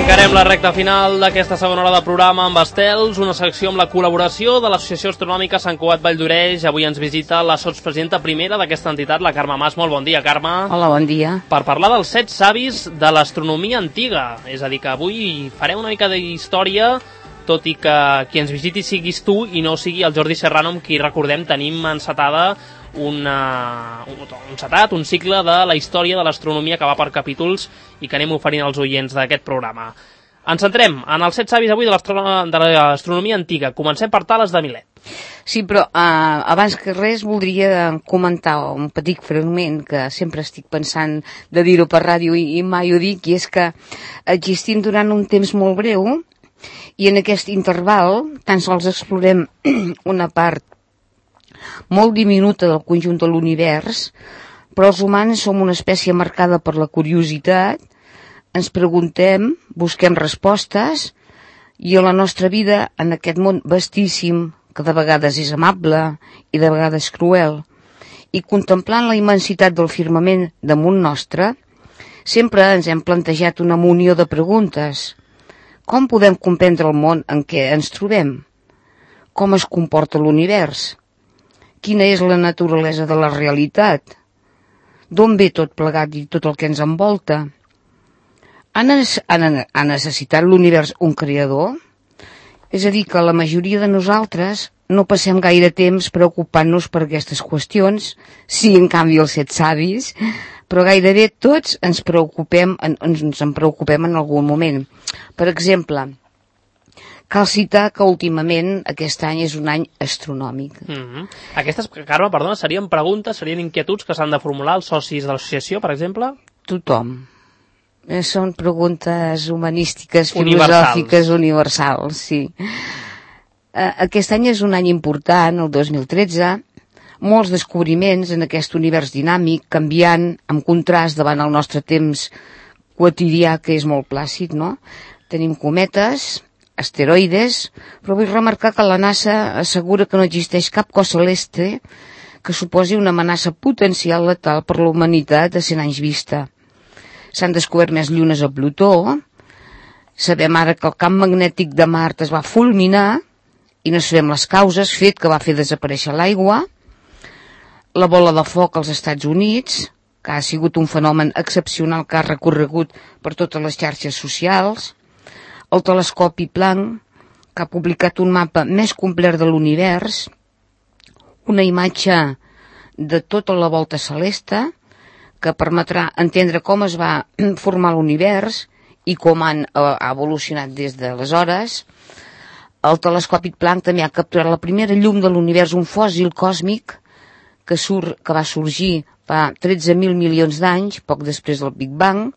Encarem la recta final d'aquesta segona hora de programa amb Estels, una secció amb la col·laboració de l'Associació Astronòmica Sant Cugat Valldoreix. Avui ens visita la sotspresidenta primera d'aquesta entitat, la Carme Mas. Molt bon dia, Carme. Hola, bon dia. Per parlar dels 7 savis de l'astronomia antiga. És a dir, que avui farem una mica d'història, tot i que qui ens visiti siguis tu i no sigui el Jordi Serrano, amb qui, recordem, tenim encetada un cicle de la història de l'astronomia que va per capítols i que anem oferint als oients d'aquest programa. Ens centrem en els 7 savis avui de l'astronomia antiga. Comencem per Tales de Milet. Sí, però abans que res voldria comentar un petit fragment que sempre estic pensant de dir-ho per ràdio i mai ho dic, i és que existim durant un temps molt breu i en aquest interval tan sols explorem una part molt diminuta del conjunt de l'univers, però els humans som una espècie marcada per la curiositat, ens preguntem, busquem respostes, i a la nostra vida, en aquest món vastíssim, que de vegades és amable i de vegades cruel, i contemplant la immensitat del firmament damunt nostre, sempre ens hem plantejat una munió de preguntes. Com podem comprendre el món en què ens trobem? Com es comporta l'univers? Quina és la naturalesa de la realitat? D'on ve tot plegat i tot el que ens envolta? Ha necessitat l'univers un creador? És a dir, que la majoria de nosaltres no passem gaire temps preocupant-nos per aquestes qüestions, sí, en canvi, els 7 savis, però gairebé tots ens en preocupem en algun moment. Per exemple, cal citar que últimament aquest any és un any astronòmic. Aquestes, Carme, perdona, serien preguntes, serien inquietuds que s'han de formular els socis de l'associació, per exemple? Tothom. Són preguntes humanístiques, filosòfiques, universals, sí. Aquest any és un any important, el 2013, molts descobriments en aquest univers dinàmic, canviant, amb contrast davant el nostre temps quotidià, que és molt plàcid, no? Tenim cometes, asteroides, però vull remarcar que la NASA assegura que no existeix cap cos celeste que suposi una amenaça potencial letal per la humanitat a 100 anys vista. S'han descobert més llunes a Plutó, sabem ara que el camp magnètic de Mart es va fulminar i no sabem les causes, fet que va fer desaparèixer l'aigua, la bola de foc als Estats Units, que ha sigut un fenomen excepcional que ha recorregut per totes les xarxes socials, el telescopi Planck, que ha publicat un mapa més complet de l'univers, una imatge de tota la volta celeste, que permetrà entendre com es va formar l'univers i com ha evolucionat des d'aleshores. El telescopi Planck també ha capturat la primera llum de l'univers, un fòssil còsmic que va sorgir fa 13.000 milions d'anys, poc després del Big Bang.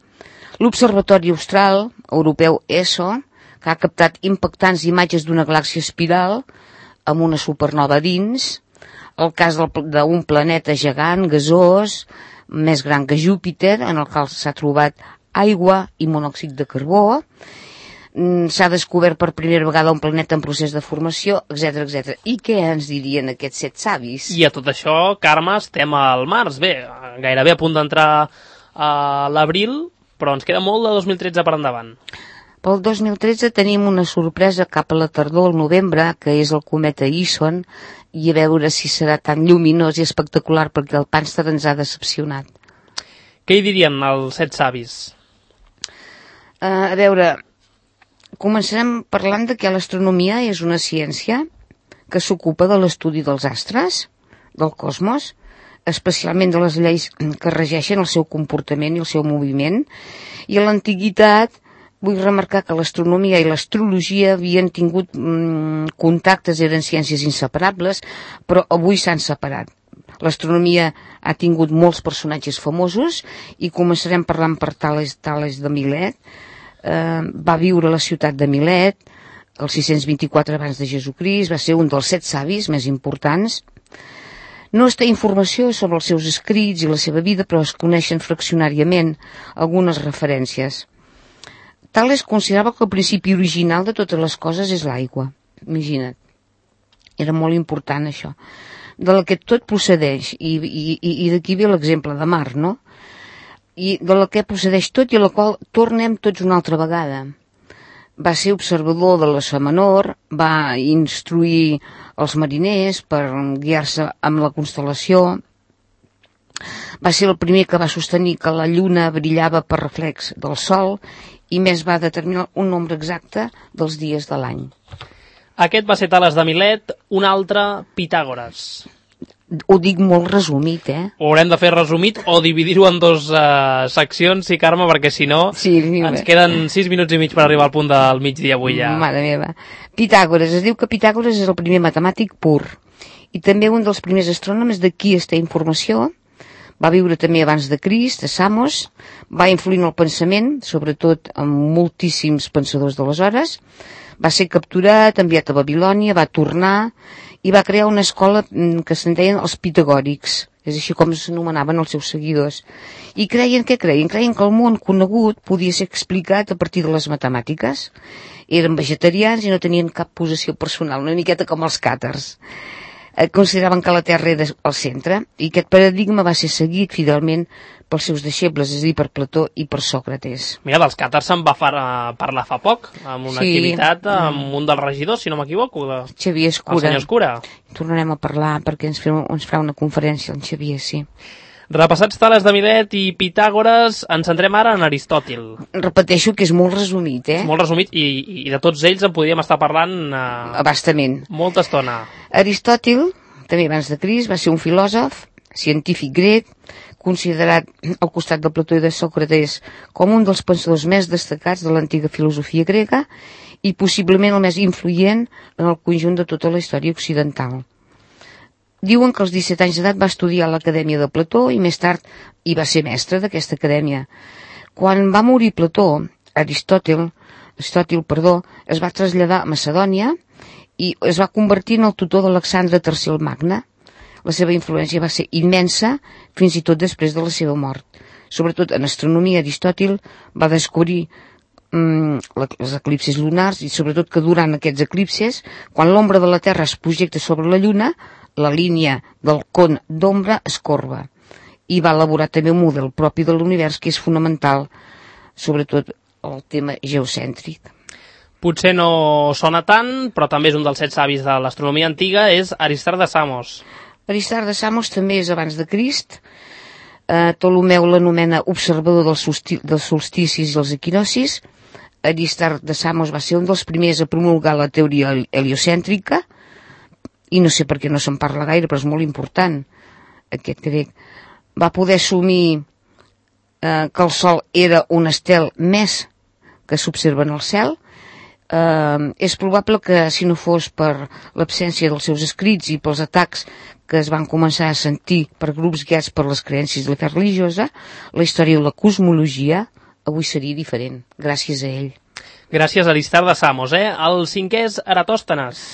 L'Observatori Austral Europeu ESO, que ha captat impactants imatges d'una galàxia espiral amb una supernova dins, el cas d'un planeta gegant, gasós, més gran que Júpiter, en el qual s'ha trobat aigua i monòxid de carbó, s'ha descobert per primera vegada un planeta en procés de formació, etc etc. I què ens dirien aquests 7 savis? I a tot això, Carme, estem al març. Bé, gairebé a punt d'entrar a l'abril, però ens queda molt de 2013 per endavant. Pel 2013 tenim una sorpresa cap a la tardor, al novembre, que és el cometa Ison, i a veure si serà tan lluminós i espectacular, perquè el Pànster ens ha decepcionat. Què hi dirien els 7 savis? A veure, començarem parlant de que l'astronomia és una ciència que s'ocupa de l'estudi dels astres, del cosmos, especialment de les lleis que regeixen el seu comportament i el seu moviment. I a l'antiguitat vull remarcar que l'astronomia i l'astrologia havien tingut contactes, eren ciències inseparables, però avui s'han separat. L'astronomia ha tingut molts personatges famosos i començarem parlant per Tales de Milet. Va viure a la ciutat de Milet el 624 abans de Jesucrist, va ser un dels 7 savis més importants. No es té informació sobre els seus escrits i la seva vida, però es coneixen fraccionàriament algunes referències. Tales considerava que el principi original de totes les coses és l'aigua. Imagina't. Era molt important això. De la que tot procedeix, i d'aquí ve l'exemple de Mart, no? I de la que procedeix tot i a la qual tornem tots una altra vegada. va ser observador de l'Oceà Menor, va instruir els mariners per guiar-se amb la constel·lació, va ser el primer que va sostenir que la lluna brillava per reflex del sol i més va determinar un nombre exacte dels dies de l'any. Aquest va ser Tales de Milet, un altre Pitàgores. Ho dic molt resumit, Ho haurem de fer resumit o dividir-ho en dos seccions, sí, Carme, perquè si no ens queden 6 minuts i mig per arribar al punt del migdia avui ja. Mare meva. Pitàgores, es diu que Pitàgores és el primer matemàtic pur i també un dels primers astrònoms de qui es té informació. Va viure també abans de Crist, a Samos, va influir en el pensament, sobretot amb moltíssims pensadors d'aleshores, va ser capturat, enviat a Babilònia, va tornar i va crear una escola que se'n deien els pitagòrics, és així com s'anomenaven els seus seguidors. I creien que el món conegut podia ser explicat a partir de les matemàtiques. Eren vegetarians i no tenien cap possessió personal, una miqueta com els càtars. Consideraven que la Terra era el centre i aquest paradigma va ser seguit fidelment pels seus deixebles, és a dir, per Plató i per Sòcrates. Mira, dels càtars se'n va parlar fa poc, amb una activitat amb un dels regidors, si no m'equivoco, Xavier Escura. El senyor Escura. Tornarem a parlar perquè ens farà una conferència el Xavier, sí. Repassats Tales de Milet i Pitàgores, ens centrem ara en Aristòtil. Repeteixo que és molt resumit, Molt resumit, i de tots ells en podríem estar parlant abastament. Molta estona. Aristòtil, també abans de Crist, va ser un filòsof, científic grec, considerat al costat de Plató i de Sòcrates com un dels pensadors més destacats de l'antiga filosofia grega i possiblement el més influent en el conjunt de tota la història occidental. Diuen que als 17 anys d'edat va estudiar a l'Acadèmia de Plató i més tard hi va ser mestre d'aquesta acadèmia. Quan va morir Plató, Aristòtil, es va traslladar a Macedònia i es va convertir en el tutor d'Alexandre III el Magne. La seva influència va ser immensa fins i tot després de la seva mort. Sobretot en astronomia, Aristòtil va descobrir els eclipsis lunars i sobretot que durant aquests eclipses, quan l'ombra de la Terra es projecta sobre la Lluna, la línia del con d'ombra es corba. I va elaborar també un model propi de l'univers que és fonamental, sobretot el tema geocèntric. Potser no sona tant, però també és un dels 7 savis de l'astronomia antiga, és Aristart de Samos. Aristart de Samos també és abans de Crist. Ptolomeu l'anomena observador dels solsticis i els equinocis. Aristart de Samos va ser un dels primers a promulgar la teoria heliocèntrica, i no sé per què no se'n parla gaire, però és molt important, aquest grec. Va poder assumir que el Sol era un estel més que s'observa en el cel. És probable que si no fos per l'absència dels seus escrits i pels atacs que es van començar a sentir per grups guiats per les creences de la fe religiosa, la història de la cosmologia avui seria diferent, gràcies a ell. Gràcies a Aristart de Samos, El 5è és Eratòstenes.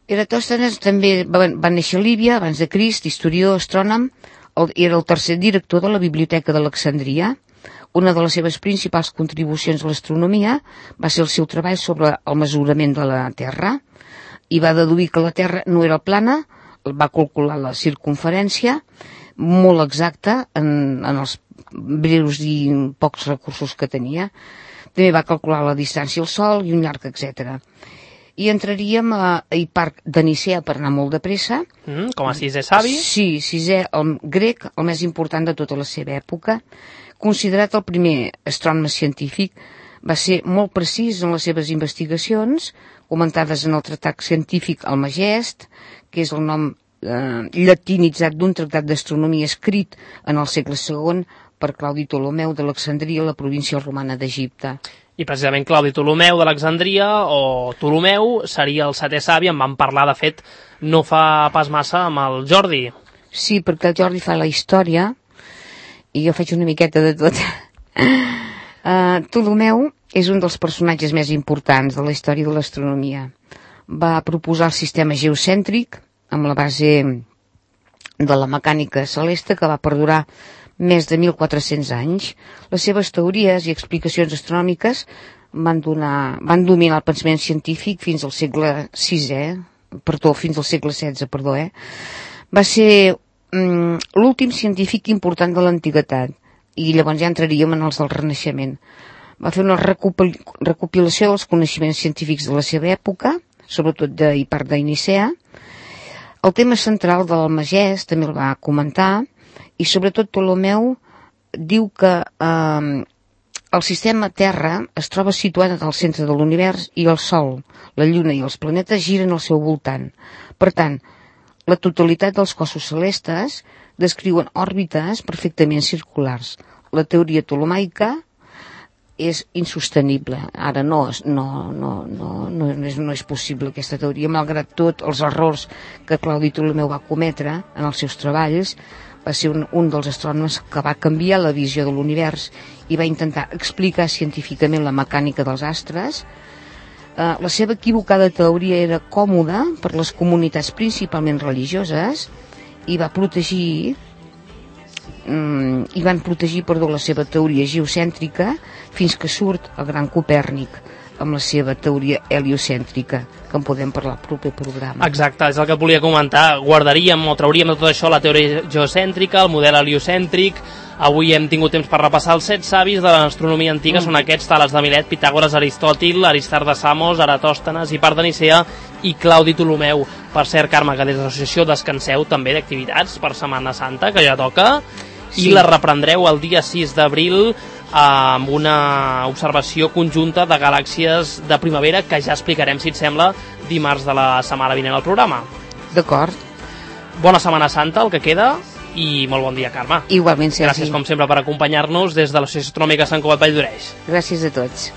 Eratòstenes també va néixer a Líbia, abans de Crist, historiador, astrònom, era el tercer director de la Biblioteca d'Alexandria. Una de les seves principals contribucions a l'astronomia va ser el seu treball sobre el mesurament de la Terra i va deduir que la Terra no era plana, va calcular la circumferència molt exacta en els breus i pocs recursos que tenia. També va calcular la distància al Sol i un llarg, etc. I entraríem a Hiparc de Nicea per anar molt de pressa. Com a 6è savi? Sí, 6è, el grec, el més important de tota la seva època. Considerat el primer astrònom científic, va ser molt precís en les seves investigacions, comentades en el tractat científic Almagest, que és el nom llatinitzat d'un tractat d'astronomia escrit en el segle II per Claudi Ptolomeu d'Alexandria, la província romana d'Egipte. I precisament Claudi Ptolomeu d'Alexandria, o Ptolomeu, seria el 7è savi, en vam parlar, de fet, no fa pas massa amb el Jordi. Sí, perquè el Jordi fa la història, i jo faig una miqueta de tot. Ptolomeu és un dels personatges més importants de la història de l'astronomia. Va proposar el sistema geocèntric, amb la base de la mecànica celeste, que va perdurar més de 1.400 anys. Les seves teories i explicacions astronòmiques van dominar el pensament científic fins al segle fins al segle XVI, Va ser l'últim científic important de l'antiguitat, i llavors ja entraríem en els del Renaixement. Va fer una recopilació dels coneixements científics de la seva època, sobretot d'Hipart de Nicea. El tema central de l'Almagès també el va comentar, i sobretot Ptolemeu diu que el sistema Terra es troba situat al centre de l'univers i el Sol, la Lluna i els planetes giren al seu voltant. Per tant, la totalitat dels cossos celestes descriuen òrbites perfectament circulars. La teoria ptolemaica és insostenible. Ara no és possible aquesta teoria, malgrat tot els errors que Claudi Ptolemeu va cometre en els seus treballs. Va ser un dels astrònoms que va canviar la visió de l'univers i va intentar explicar científicament la mecànica dels astres. La seva equivocada teoria era còmoda per les comunitats principalment religioses i van protegir la seva teoria geocèntrica fins que surt el gran Copèrnic amb la seva teoria heliocèntrica, que en podem parlar al proper programa. Exacte, és el que et volia comentar. Guardaríem o trauríem de tot això la teoria geocèntrica, el model heliocèntric. Avui hem tingut temps per repassar els 7 savis de l'astronomia antiga, són aquests: Tales de Milet, Pitàgores, Aristòtil, Aristarc de Samos, Eratòstenes, Hipart de Nicea i Claudi Ptolemeu. Per cert, Carme, que des de l'associació descanseu també d'activitats per Setmana Santa, que ja toca, i la reprendreu el dia 6 d'abril amb una observació conjunta de galàxies de primavera que ja explicarem, si et sembla, dimarts de la setmana vinent al programa. D'acord. Bona Setmana Santa, el que queda, i molt bon dia, Carme. Igualment, Sergi. Gràcies, com sempre, per acompanyar-nos des de l'Associació Astronòmica Sant Cugat Vall d'Oreix. Gràcies a tots.